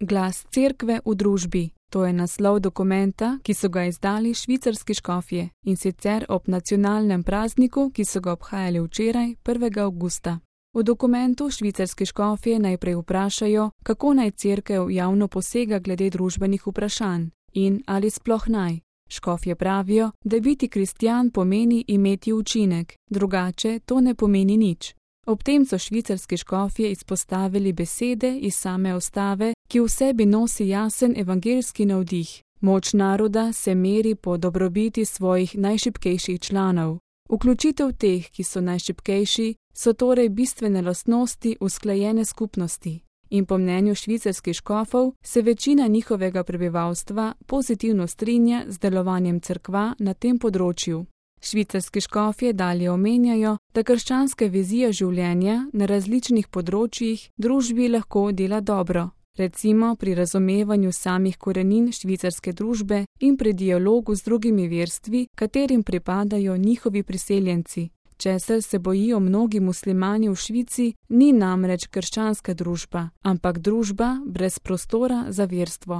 Glas cerkve v družbi. To je naslov dokumenta, ki so ga izdali švicarski škofje, in sicer ob nacionalnem prazniku, ki so ga obhajali včeraj, 1. avgusta. V dokumentu švicarski škofje najprej vprašajo, kako naj cerkev javno posega glede družbenih vprašanj in ali sploh naj. Škofje pravijo, da biti kristjan pomeni imeti učinek, drugače to ne pomeni nič. Ob tem so švicarski škofje izpostavili besede iz same ustave, ki v sebi nosi jasen evangeljski navdih. Moč naroda se meri po dobrobiti svojih najšibkejših članov. Vključitev teh, ki so najšibkejši, so torej bistvene lastnosti usklajene skupnosti. In po mnenju švicarskih škofov se večina njihovega prebivalstva pozitivno strinja z delovanjem cerkva na tem področju. Švicarski škofje dalje omenjajo, da krščanska vizija življenja na različnih področjih družbi lahko dela dobro, recimo pri razumevanju samih korenin švicarske družbe in pri dialogu z drugimi verstvi, katerim pripadajo njihovi priseljenci. Česar se bojijo mnogi muslimani v Švici, ni namreč krščanska družba, ampak družba brez prostora za verstvo.